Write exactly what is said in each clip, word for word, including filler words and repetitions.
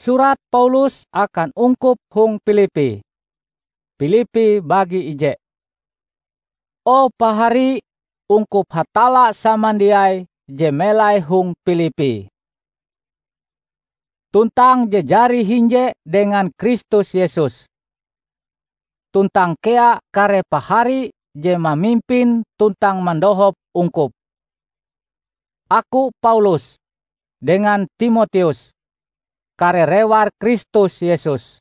Surat Paulus akan ungkup hong Pilipi. Pilipi bagi ije. O pahari ungkup Hatalla samandiai je melai hong Pilipi, tuntang je jari hinje dengan Kristus Yesus, tuntang kea kare pahari je mamimpin tuntang mandohop ungkup. Aku Paulus, dengan Timoteus, kare rewar Kristus Yesus,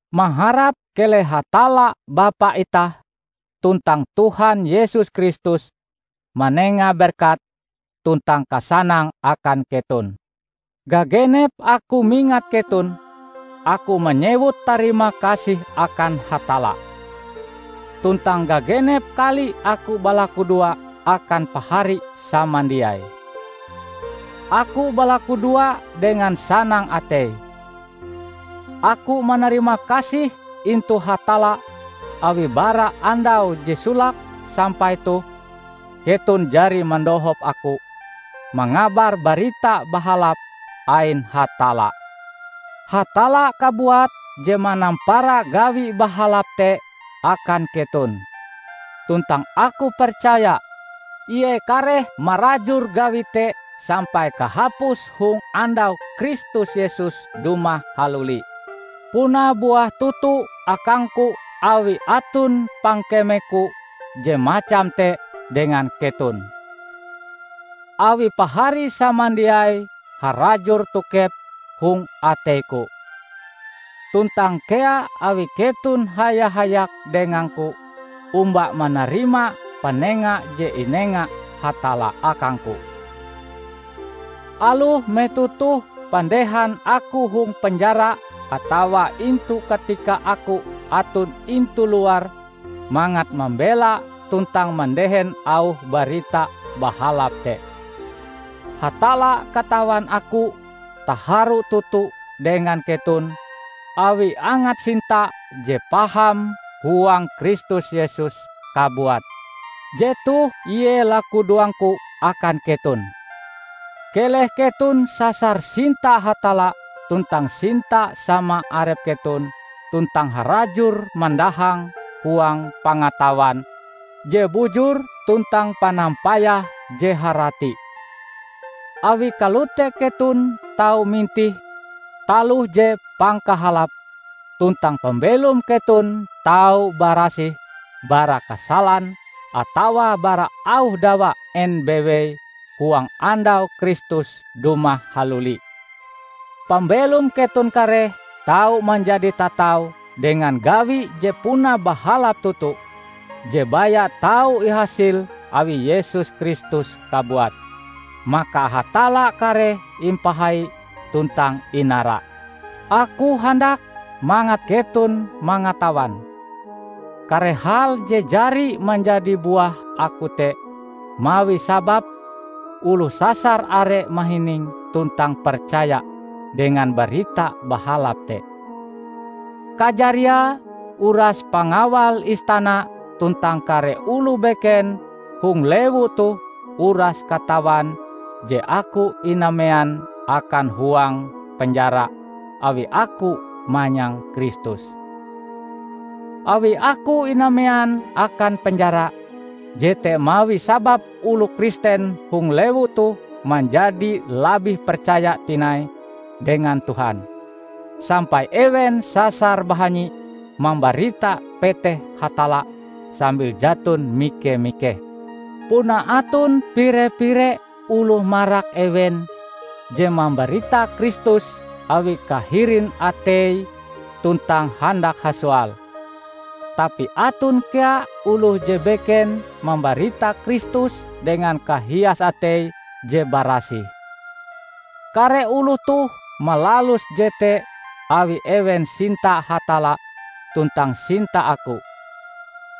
maharap keleh Hatalla Bapa itah tuntang Tuhan Yesus Kristus manenga berkat tuntang kasanang akan keton. Gagenep aku mingat keton, aku manyewut tarima kasih akan Hatalla. Tuntang gagenep kali aku balakudoa akan pahari samandiai. Aku balakudoa dengan sanang atei. Aku manarima kasih intu Hatalla awi bara andau je solake sampai toh keton jari mandohop aku mangabar Barita Bahalap ain Hatalla. Hatalla kabuat je manampara gawi bahalap te akan keton. Tuntang aku percaya Ie kareh marajur gawi te sampai kahapus hong andau Kristus Yesus dumah haluli. Puna buah toto akangku awi aton pangkemeku je macam te dengan keton. Awi pahari samandiai harajur tokep hong ateiku, tuntang kea awi keton haya-hayak dengangku omba manarima panenga je inenga Hatalla akangku. Aloh metoh toh pandehan aku hong penjara atawa intu katika aku aton intu luar mangat mambela tuntang mandehen auh Barita Bahalap te. Hatalla katawan aku taharu toto dengan keton awi angat sinta je paham huang Kristus Yesus kabuat. Jetoh ie lakudoangku akan keton. Keleh keton sasar sinta Hatalla tuntang sinta sama arep keton tuntang harajur mandahang huang pangatawan je bujur tuntang panampayah je harati. Awi kalote keton tau mintih taloh je pangkahalap, tuntang pambelom keton tau barasih bara kasalan atawa bara auh dawa en bewei huang andau Kristus dumah haluli. Pambelom keton kareh tau manjadi tatau dengan gawi je puna bahalap toto, je baya tau ihasil awi Yesus Kristus kabuat. Maka Hatalla kareh impahai tuntang inara. Aku handak mangat keton mangatawan kare hal je jari manjadi buah aku te, mawi sabab oloh sasar are mahining tuntang percaya dengan Barita Bahalap te. Kajariae uras pangawal istana tuntang kare oloh beken hong lewu toh uras katawan je aku inamean akan huang penjara awi aku manyang Kristus. Awi aku inamean akan penjara, jete mawi sabab oloh Kristen hong lewu toh manjadi labih percaya tinai dengan Tuhan, sampai ewen sasar bahanyi mambarita peteh Hatalla sambil jaton mike-mikeh. Puna aton pire-pire oloh marak ewen je mambarita Kristus awi kahirin ateie tuntang handak hasoal. Tapi aton kea oloh je beken mambarita Kristus dengan kahias atei je barasih. Kare oloh toh malalus jete awi ewen sinta Hatalla tuntang sinta aku.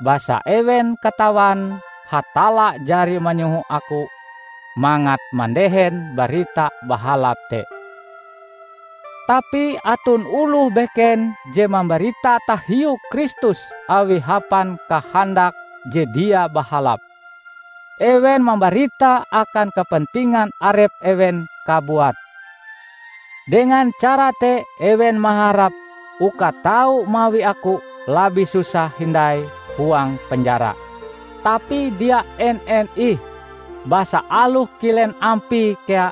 Basa ewen katawan Hatalla jari manyoho aku mangat mandehen Barita Bahalap te. Tapi aton oloh beken je mambarita tahiu Kristus awi hapan kahandak je dia bahalap. Ewen mambarita akan kepentingan arep ewen kabuat. Dengan cara te ewen maharap uka tau mawi aku labih susah hindai huang penjara. Tapi dia en-en ih, basa aloh kilen ampie kea,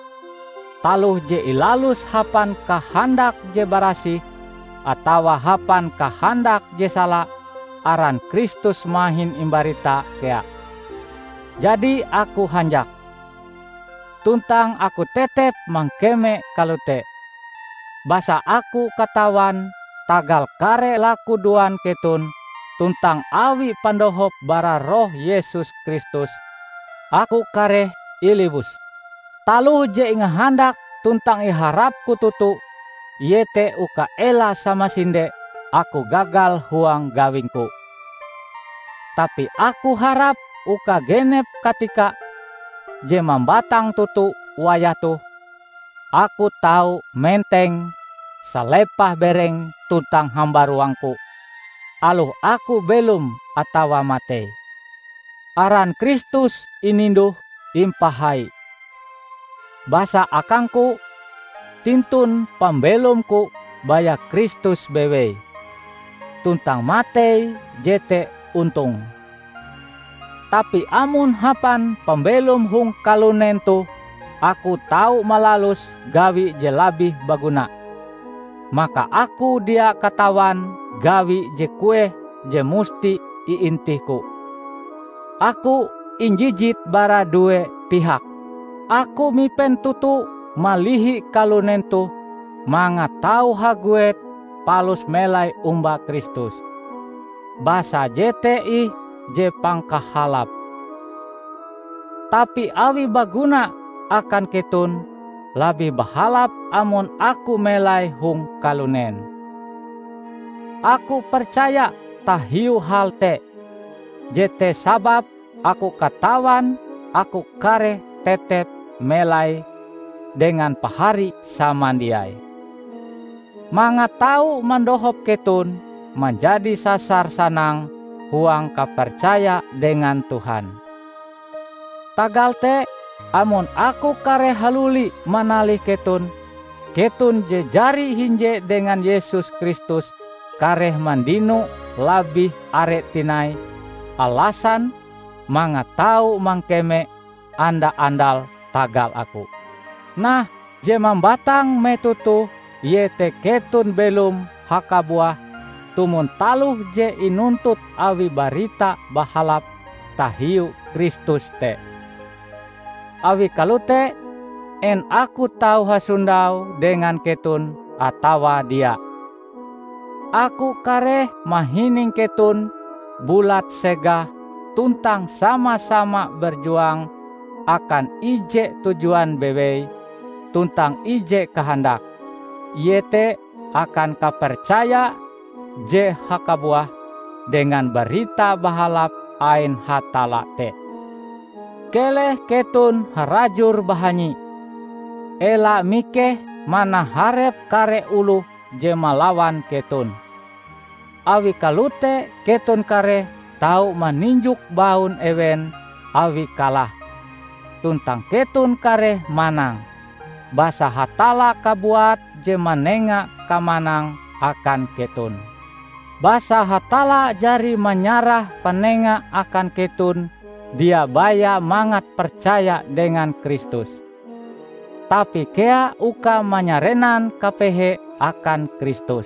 taloh je ilalus hapan kahandak je barasih atawa hapan kahandak je sala, aran Kristus mahin imbarita kea. Jadi aku hanjak, tuntang aku tetep mangkeme kalote. Basa aku katawan tagal kare lakudoan keton tuntang awi pandohop bara Roh Yesus Kristus, aku kareh iliwus. Taloh je ingahandak tuntang iharapku toto, iete uka ela samasinde aku gagal huang gawingku. Tapi aku harap uka genep katika je mambatang toto wayah toh, aku tau menteng salepah bereng tuntang hambaruangku, aloh aku belom atawa matei. Aran Kristus ininduh impahai. Basa akangku, tintun pambelomku baya Kristus bewei, tuntang matei jete ontong. Tapi amon hapan pambelom hong kalunen toh aku tau malalus gawi je labih baguna, maka aku dia katawan gawi je kueh je musti iintihku. Aku injijit bara due pihak. Aku mipen toto malihi kalunen toh mangat tau haguet palus melai omba Kristus. Basa jete ih je pangkahalap. Tapi awi baguna akan keton, labih bahalap amon aku melai hong kalunen. Aku percaya tahiu hal te. Jete sababe aku katawan aku kareh tetep melai dengan pahari samandiai, mangat tau mandohop keton manjadi sasar sanang huang kapercaya dengan Tuhan. Tagal te, amon aku kareh haluli manalih keton, keton je jari hinje dengan Yesus Kristus kareh mandino labih are tinai alasan mangat tau mangkeme anda-andal tagal aku. Nah, je mambatang metoh toh iete keton belom hakabuah tumon taloh je inuntut awi Barita Bahalap tahiu Kristus te. Awi kalote, en aku tau hasondau dengan keton atawa dia? Aku kareh mahining keton bulat segah tuntang sama-sama berjuang akan ije tujuan bewei tuntang ije kahandak, iete akan kapercaya je hakabuah dengan Barita Bahalap ain Hatalla te. Keleh keton harajur bahanyi. Ela mikeh manaharep kare oloh je malawan keton. Awi kalote keton kareh tau maninjok baun ewen awi kalah, tuntang keton kareh manang, basa Hatalla kabuat je manenga kamanang akan keton. Basa Hatalla jari manyarah panenga akan keton dia baya mangat percaya dengan Kristus, tapi kea uka manyarenan kapehe akan Kristus.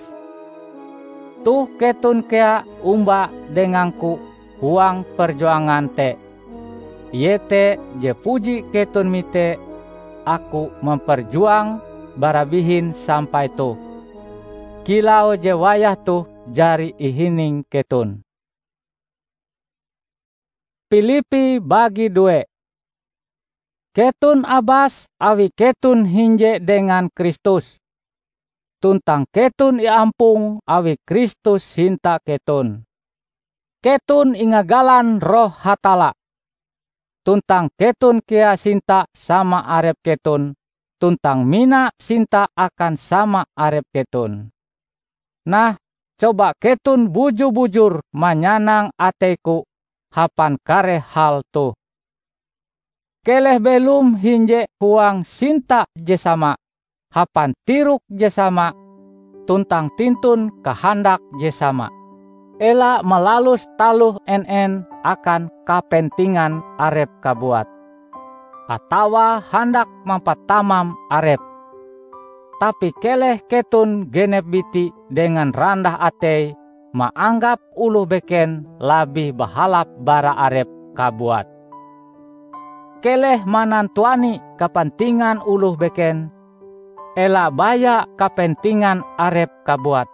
Toh keton kea omba dengangku huang perjuangan te, iete je puji keton mite aku mamperjuang bara bihin sampai toh, kilau je wayah toh jari ihining keton. Pilipi bagi due. Keton abas awi keton hinje dengan Kristus, tuntang keton iampong awi Kristus sinta keton. Keton ingagalan Roh Hatalla, tuntang keton kea sinta sama arep keton, tuntang mina sinta akan sama arep keton. Nah, coba keton buju-bujur manyanang ateiku hapan kare hal toh. Keleh belom hinje huang sinta je sama, hapan tirok je sama, tuntang tintun kahandak je sama. Ela malalus taloh en-en akan kapentingan arep kabuat, atawa handak mampatamam arep. Tapi keleh keton genep biti dengan randah atei maanggap oloh beken labih bahalap bara arep kabuat. Keleh manantuani kapentingan oloh beken, ela baya kapentingan arep kabuat.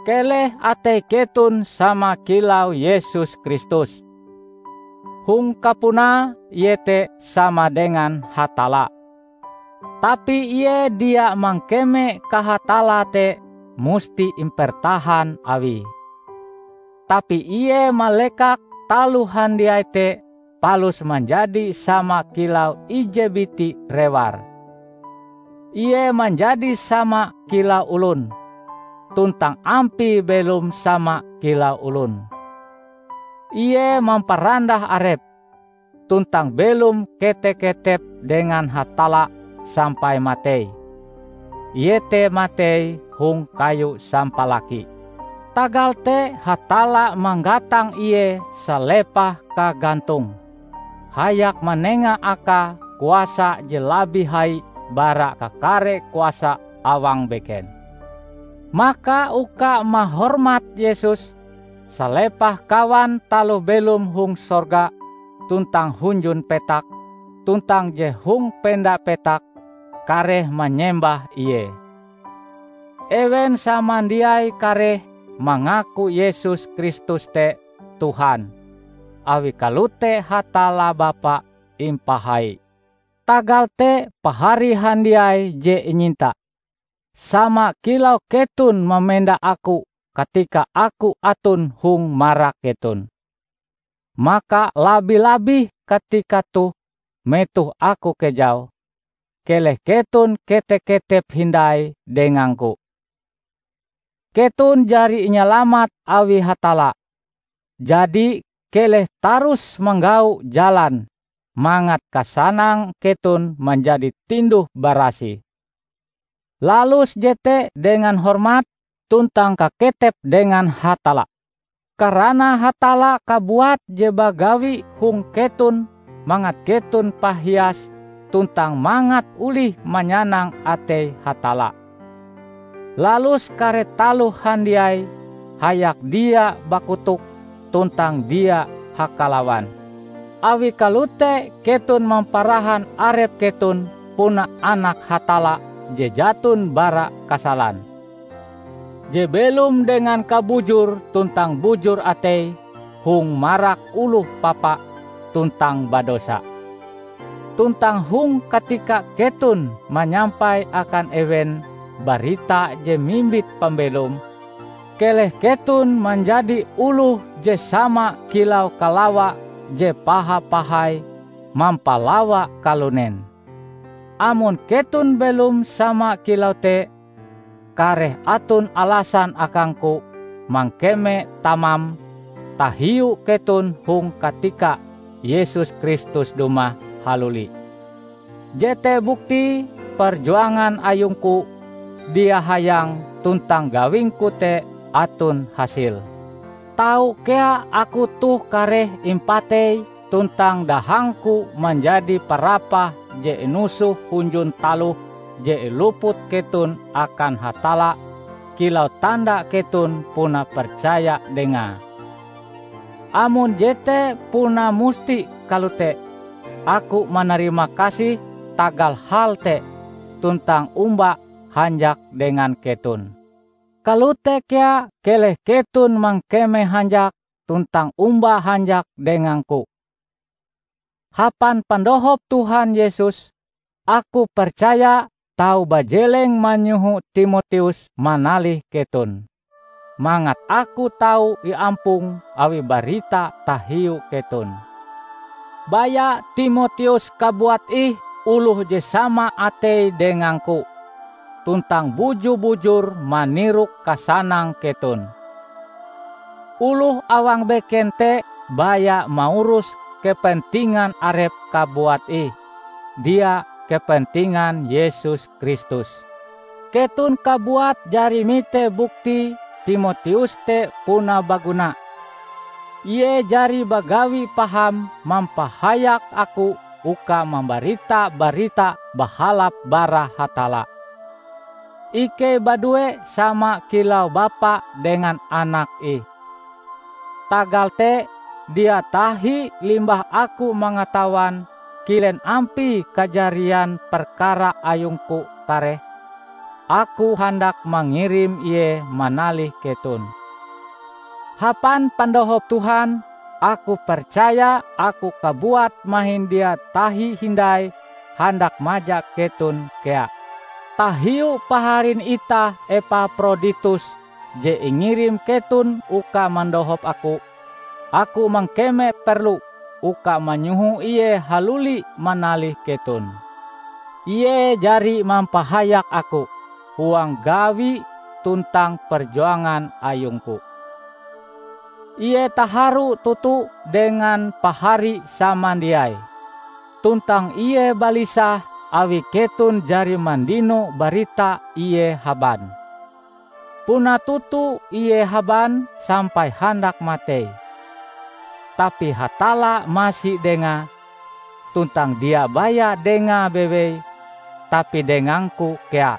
Keleh atei keton sama kilau Yesus Kristus. Hong kapunae Ie te sama dengan Hatalla. Tapi Ie dia mangkeme kahatalla te musti impertahan Awie. Tapi Ie malekak taloh handiai te palus manjadi sama kilau ije biti rewar. Ie manjadi sama kilau olon, tuntang ampie belom sama kilau olon. Ie mamparandah arepe, tuntang belom kete-ketep dengan Hatalla sampai matei, iete matei hong kayu sampalaki. Tagal te Hatalla manggatang Ie salepah kagantonge, hayak manenga Akae kuasa je labih hai bara kakare kuasa awang beken. Maka uka mahormat Yesus, salepah kawan taloh belom hong sorga tuntang hunjun petak, tuntang je hong penda petak, kareh manyembah Ie. Ewen samandiai kareh mangaku Yesus Kristus te Tuhan, awi kalote Hatalla Bapa impahai. Tagal te pahari handiai je inyinta, sama kilau keton mamenda Aku katika Aku aton hong marak keton, maka labi-labih katika toh metoh Aku kejau, keleh keton kete-ketep hindai dengangku. Keton jari inyalamat awi Hatalla, jadi keleh tarus manggau jalan mangat kasanang keton manjadi tinduh-barasih. Lalus jete dengan hormat tuntang kaketep dengan Hatalla. Karana Hatalla kabuat je bagawi hong keton mangat keton pahias tuntang mangat olih manyanang atei Hatalla. Lalus kare taloh handiai hayak dia bakotok tuntang dia hakalawan. Awi kalote keton mamparahan arep keton puna Anak Hatalla je jaton bara kasalan, je belom dengan kabujur tuntang bujur atei hong marak oloh papa tuntang badosa. Tuntang hong katika keton manyampai akan ewen barita je mimbit pambelom, keleh keton manjadi oloh je sama kilau kalawa je paha-pahai mampalawa kalunen. Amon keton belom sama kilau te, kareh aton alasan akangku mangkeme tamam tahiu keton hong katika Yesus Kristus dumah haluli. Jete bukti perjuangan ayungku dia hayang tuntang gawingku te aton hasil. Tau kea aku toh kareh impatei tuntang dahangku manjadi parapah je inusoh hunjun taloh je iluput keton akan Hatalla kilau tanda keton puna percaya Dengae. Amon jete puna musti kalote, aku manarima kasih tagal hal te tuntang omba hanjak dengan keton. Kalote kea keleh keton mangkeme hanjak tuntang omba hanjak dengangku. Hapan pandohop Tuhan Yesus, aku percaya tau bajeleng manyoho Timoteus manalih keton, mangat aku tau iampong awi barita tahiu keton. Baya Timoteus kabuat ih oloh je sama atei dengangku, tuntang buju-bujur manirok kasanang keton. Oloh awang beken te baya maurus kepentingan arepe kabuat ih, dia kepentingan Yesus Kristus. Keton kabuat jari mite bukti Timoteus te puna baguna. Ie jari bagawi paham mampahayak aku uka mambarita Barita Bahalap bara Hatalla. Ikei badue sama kilau bapa dengan anak ih. Tagal te, dia tahi limbah aku mangatawan kilen ampie kajarian perkara ayungku kareh, aku handak mangirim ie manalih keton. Hapan pandohop Tuhan, aku percaya aku kabuat mahin dia tahi hindai handak maja keton kea. Tahiu paharin itah Epaproditus je ingirim keton uka mandohop aku, aku mangkeme perlu uka manyoho ie haluli manalih keton. Ie jari mampahayak aku huang gawi tuntang perjuangan ayungku. Ie taharu toto dengan pahari samandiai, tuntang ie balisah awi keton jari mandino barita ie haban. Puna toto ie haban sampai handak matei. Tapi Hatalla masi dengae, tuntang dia baya dengae bewei, tapi dengangku kea.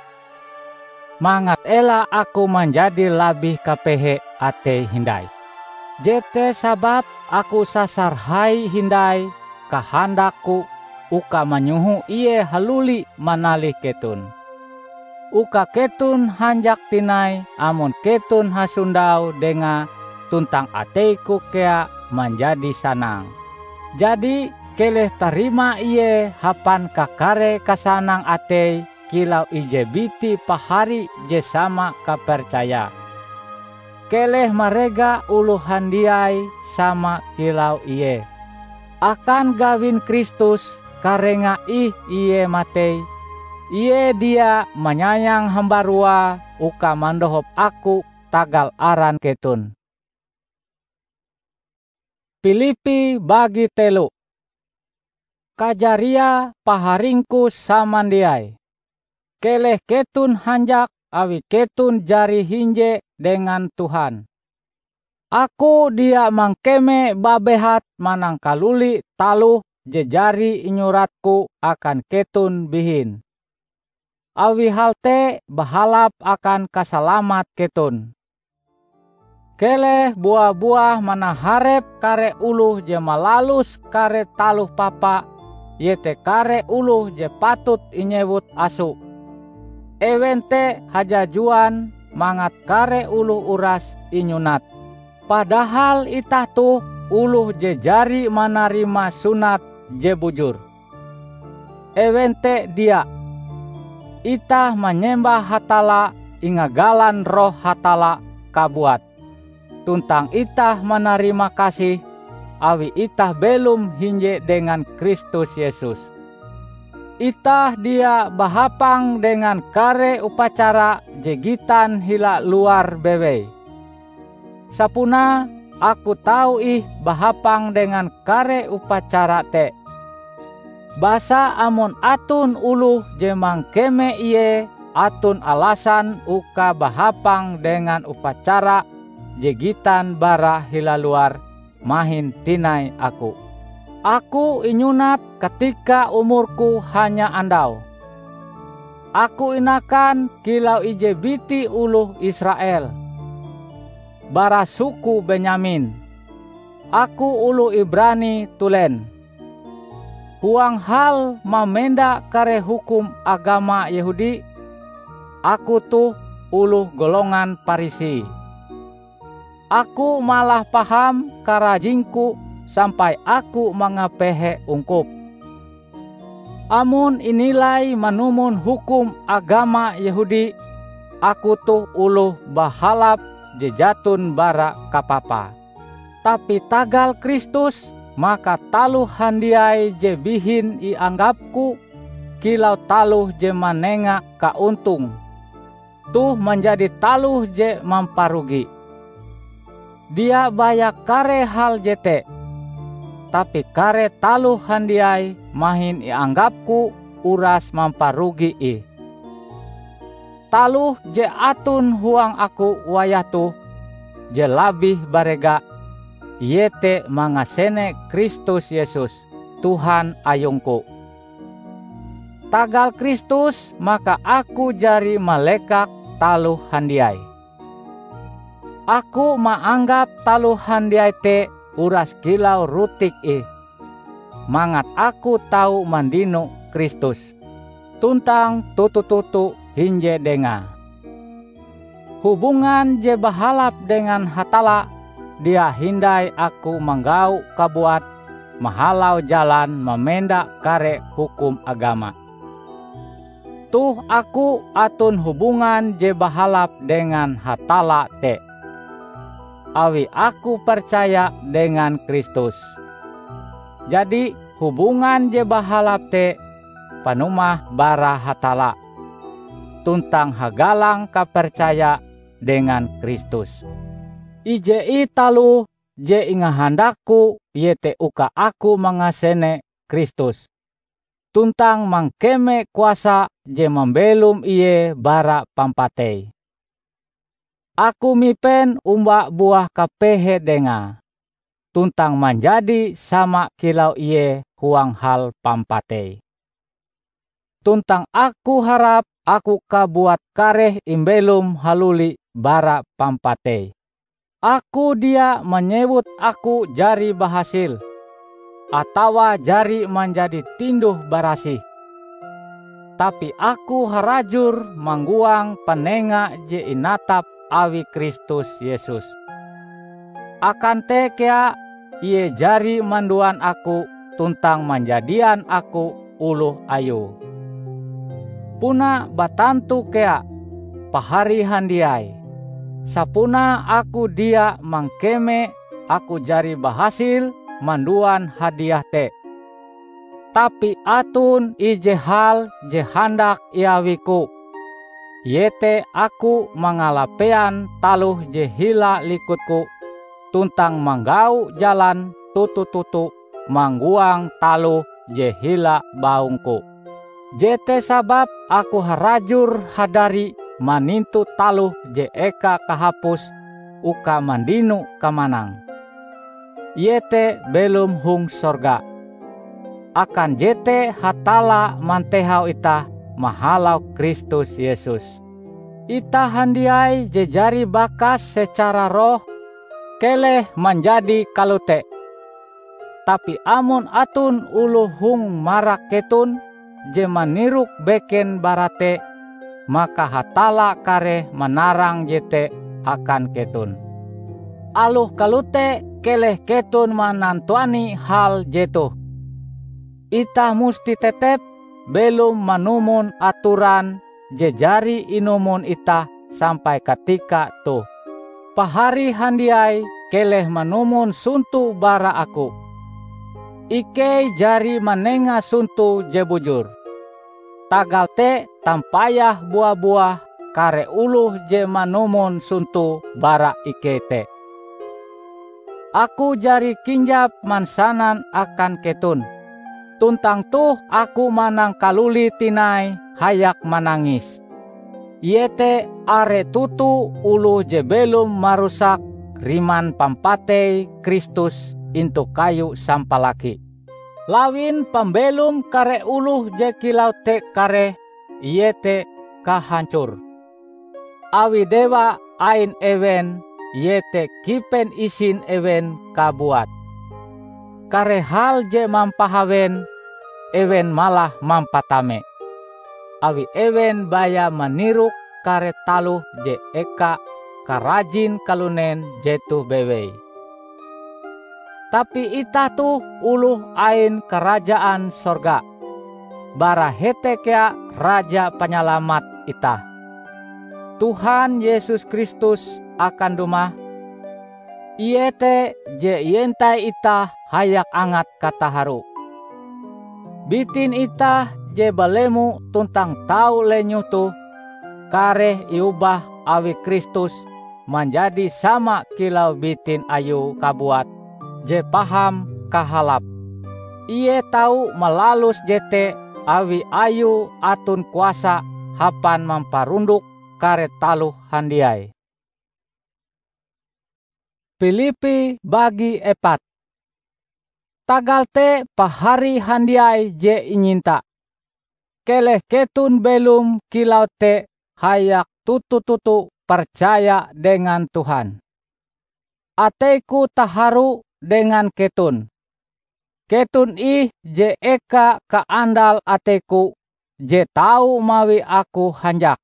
Mangat ela aku manjadi labih kapehe atei hindai. Jete sababe aku sasar hai hindai kahandakku uka manyoho ie haluli manalih keton, uka keton hanjak tinai amon keton hasondau dengae tuntang ateiku kea manjadi sanang. Jadi, keleh tarima ie hapan kakare kasanang atei kilau ije biti pahari je sama kapercaya. Keleh marega oloh handiai sama kilau ie. Akan gawin Kristus, karenga ih ie matei, ie dia manyayang hambaruae uka mandohop aku tagal aran keton. Pilipi bagi telu. Kajariae paharingku samandiai, keleh keton hanjak awi keton jari hinje dengan Tuhan. Aku dia mangkeme babehat manangkaluli taloh je jari inyuratku akan keton bihin. Awi hal te bahalap akan kasalamat keton. Keleh bua-buah manaharep kare oloh je malalus kare taloh papa, iete kare oloh je patut inyewut aso. Ewen te hajajuan mangat kare oloh uras inyunat. Padahal itah toh oloh je jari manarima sunat je bujur. Ewen te dia. Itah manyembah Hatalla ingagalan Roh Hatalla kabuat, tuntang itah manarimakasih awi itah belom hinje dengan Kristus Yesus. Itah dia bahapang dengan kare upacara je gitan hila luar bewei. Sapunae aku tau ih bahapang dengan kare upacara te. Basa amon aton oloh je mangkeme ie aton alasan uka bahapang dengan upacara je gitan bara hila luar mahin tinai aku. Aku inyunat katika umurku hanya andau. Aku inakan kilau ije biti oloh Israel, bara suku Benyamin. Aku oloh Ibrani tulen. Huang hal mamenda kare hukum agama Yehudi, aku toh oloh golongan Parisi. Aku malah paham karajingku sampai aku mangapehe ungkup. Amon inilai manumon hukum agama Yehudi, aku toh oloh bahalap je jaton bara kapapa. Tapi tagal Kristus, maka taloh handiai je bihin ianggapku kilau taloh je manenga kaontong, toh manjadi taloh je mamparugi. Dia baya kare hal jete, tapi kare taloh handiai mahin ianggapku uras mamparugi ih. taloh je aton huang aku wayah toh je labih barega, iete mangasene Kristus Yesus, Tuhan ayungku. Tagal Kristus maka aku jari malekak taloh handiai. Aku maanggap taloh handiai te uras kilau rutik ih, mangat aku tau mandino Kristus, tuntang toto-toto hinje Dengae. Hubungan je bahalap dengan Hatalla dia hindai aku manggau kabuat mahalau jalan mamenda kare hukum agama. Toh aku aton hubungan je bahalap dengan Hatalla te, awi aku percaya dengan Kristus. Jadi, hubungan je bahalap te panumah bara Hatalla, tuntang hagalang kapercaya dengan Kristus. Ije ih taloh je ingahandakku iete uka aku mangasene Kristus, tuntang mangkeme kuasa je mambelom Ie bara pampatei. Aku mipen omba buah kapehe Dengae, tuntang manjadi sama kilau Ie huang hal pampatei. Tuntang aku harap aku kabuat kareh imbelom haluli bara pampatei. Aku dia manyewut aku jari bahasil, atawa jari manjadi tinduh-barasih. Tapi aku harajur manggoang panenga je inatap awi Kristus Yesus. Akan te kea Ie jari manduan aku tuntang manjadian aku oloh Ayue. Puna batantu kea, pahari handiai, sapunae aku dia mangkeme aku jari bahasil manduan hadiah te. Tapi aton ije hal je handak iawiku, iete aku mangalapean taloh je hila likutku tuntang manggau jalan toto-toto manggoang taloh je hila baungku. Jete sababe aku harajur hadari manintu taloh je eka kahapus uka mandino kamanang, iete belom hong sorga. Akan jete Hatalla mantehau itah mahalau Kristus Yesus. Itah handiai je jari bakas secara roh, keleh manjadi kalote. Tapi amon aton oloh hong marak keton je manirok beken bara te, maka Hatalla kareh manarang jete akan keton. Aloh kalote, keleh keton manantuani hal jetoh. Itah musti tetep belom manumon atoran je jari inumon itah sampai katika toh. Pahari handiai, keleh manumon sonto bara aku. Ikei jari manenga sonto je bujur. Tagal te tampayah bua-buah kare oloh je manumon sonto bara ikei te. Aku jari kinjap mansanan akan keton, tuntang toh aku manangkalulit tinai hayak manangis. Iete are toto oloh je belom marusak riman pampatei Kristus intu kayu sampalaki. Lawin pambelom kare oloh je kilau te kareh iete kahancor. Awi dewa ain ewen iete kipen isin ewen kabuat. Kare hal je mampahawen, ewen malah mampatame, awi ewen baya manirok kare taloh je eka karajin kalunen jetoh bewei. Tapi itah toh oloh ain Karajaan Sorga. Bara hete kea Raja Panyalamat itah, Tuhan Yesus Kristus, akan dumah. Ie te je ientai itah hayak angat kataharu. Bitin itah je balemo tuntang tau lenyoh toh kareh iobah awi Kristus manjadi sama kilau bitin Ayue kabuat je paham kahalap. Ie tau malalus jete awi Ayue aton kuasa hapan mamparundok kare taloh handiai. Pilipi bagi epat. Tagal te pahari handiai je inyinta, keleh keton belom kilau te hayak toto-toto percaya dengan Tuhan. Ateiku taharu dengan keton. Keton ih je eka kaandal ateiku je tau mawi aku hanjak.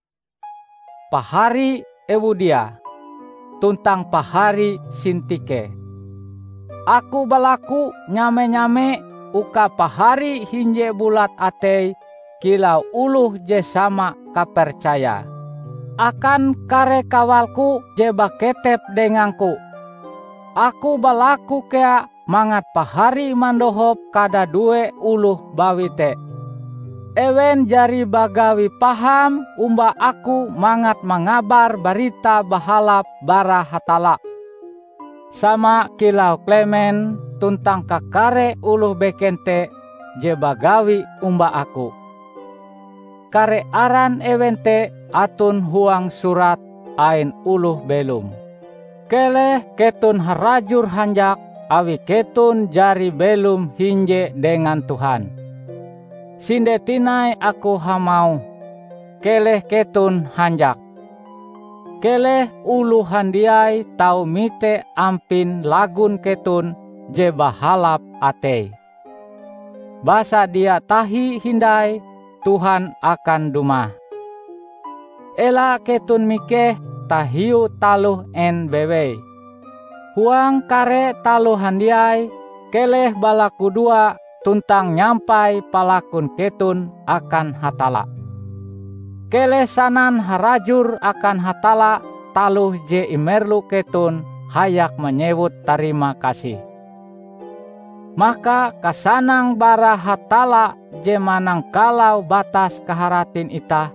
Pahari Euodia tuntang pahari Sintike. Aku balaku nyame-nyame uka pahari hinje bulat atei kilau oloh je sama kapercayae akan kare kawalku je baketep dengangku. Aku balaku kea mangat pahari mandohop kadadue oloh bawi te. Ewen jari bagawi paham omba aku mangat mangabar Barita Bahalap bara Hatalla, sama kilau Klemen tuntang kakare oloh beken te je bagawi omba aku. Kare aran ewen te aton huang surat ain oloh belom. Keleh keton harajur hanjak awi keton jari belom hinje dengan Tuhan. Sinde tinai aku hamauh, keleh keton hanjak. Keleh oloh handiai tau mite ampin lagon keton je bahalap atei. Basa dia tahi hindai Tuhan akan dumah. Ela keton mikeh tahiu taloh en bewei. Huang kare taloh handiai, keleh balakudoa tuntang nyampai palakun keton akan Hatalla. Keleh sanan harajur akan Hatalla taloh je imerlu keton hayak manyewut tarima kasih. Maka kasanang bara Hatalla je manangkalau batas kaharatin itah,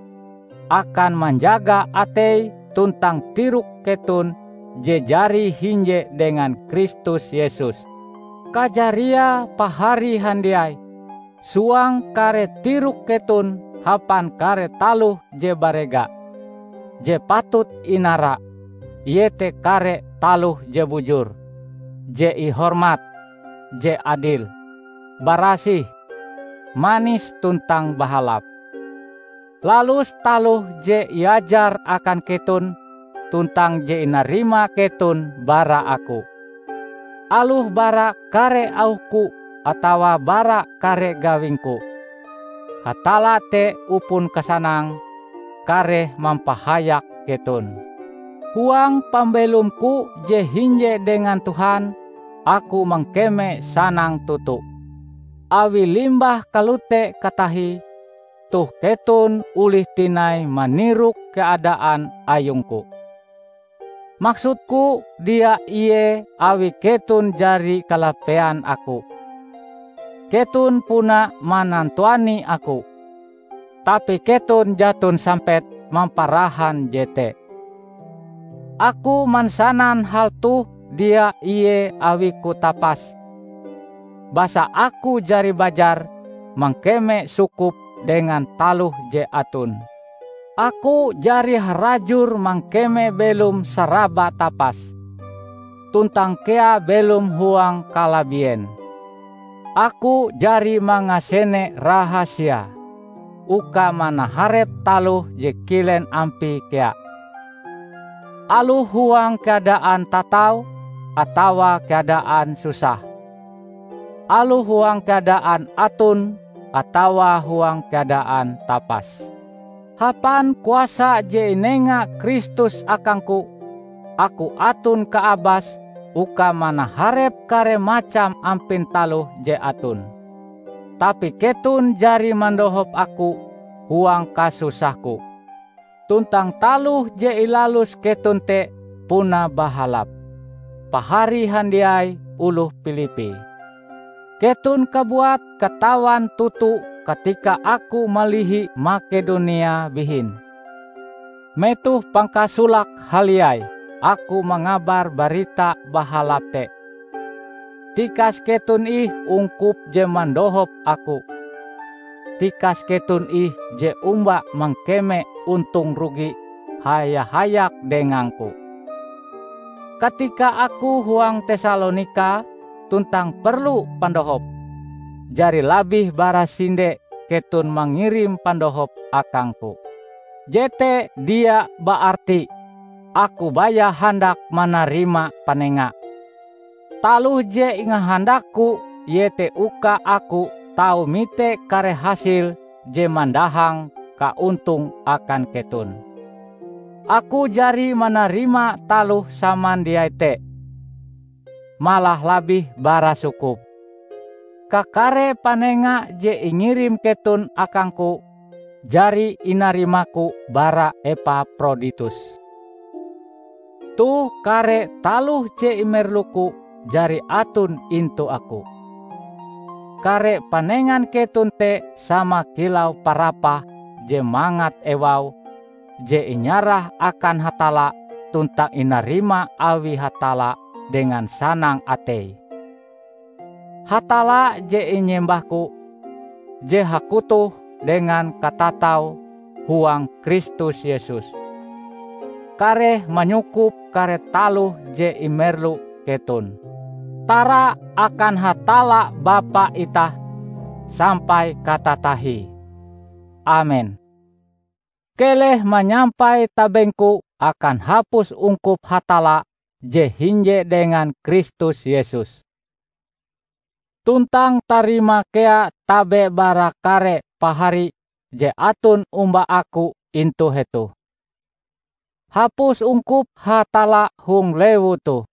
akan manjaga atei tuntang tirok keton je jari hinje dengan Kristus Yesus. Kajariae pahari handiai, suang kare tirok keton hapan kare taloh je barega, je patut inara, iete kare taloh je bujur, je ihormat, je adil, barasih, manis tuntang bahalap. Lalus taloh je iajar akan keton tuntang je inarima keton bara aku. Aloh bara kare auhku atawa bara kare gawingku, Hatalla te upon kasanang kareh mampahayak keton. Huang pambelomku je hinje dengan Tuhan, aku mangkeme sanang toto. Awi limbah kalote katahie, toh keton olih tinai manirok keadaan ayungku. Maksudku dia ie awi keton jari kalapean aku. Keton puna manantuani aku, tapi keton jaton sampet mamparahan jete. Aku mansanan hal toh dia ie awiku tapas, basa aku jari bajar mangkeme sukup dengan taloh je aton. Aku jari harajur mangkeme belom saraba tapas, tuntang kea belom huang kalabien. Aku jari mangasene rahasia uka manaharep taloh je kilen ampie kea, aloh huang keadaan tatau atawa keadaan susah, aloh huang keadaan aton atawa huang keadaan tapas. Hapan kuasa je inenga Kristus akangku, aku aton kaabas uka manaharep kare macam ampin taloh je aton. Tapi keton jari mandohop aku huang kasusahku, tuntang taloh je ilalus keton te puna bahalap. Pahari handiai oloh Pilipi, keton kabuat katawan toto katika aku malihi Makedonia bihin. Metoh pangkasolake haliai aku mangabar Barita Bahalap te. Tikas keton ih ungkup je mandohop aku. Tikas keton ih je omba mangkeme ontong rugi haya-hayak dengangku. Katika aku huang Tesalonika tuntang perlu pandohop, jari labih bara sinde keton mangirim pandohop akangku. Jete dia baarti aku baya handak manarima panenga. Taloh je ingahandakku iete uka aku tau mite kare hasil je mandahang kaontong akan keton. Aku jari manarima taloh samandiai te, malah labih bara sukup. Kakare panenga je ingirim keton akangku jari inarimaku bara Epaproditus. Toh kare taloh je imerluku jari aton intu aku. Kare panengan keton te sama kilau parapah je mangat ewau je inyarah akan Hatalla tuntang inarima awi Hatalla dengan sanang atei. Hatalla je inyembahku, je hakutoh dengan katatau huang Kristus Yesus, kareh manyukup kare taloh je imerlu keton. Tara akan Hatalla Bapa itah sampai katatahie. Amen. Keleh manyampai tabengku akan hapus ungkup Hatalla je hinje dengan Kristus Yesus. Tuntang tarima kea tabe bara kare pahari je aton omba aku intu hetoh. Hapus ungkup Hatalla hong lewu toh,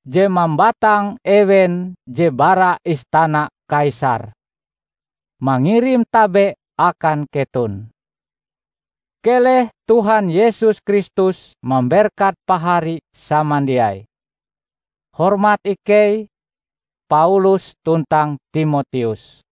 je mambatang ewen je bara istana Kaisar, mangirim tabe akan keton. Keleh Tuhan Yesus Kristus mamberkat pahari samandiai. Hormat ikei, Paulus tuntang Timoteus.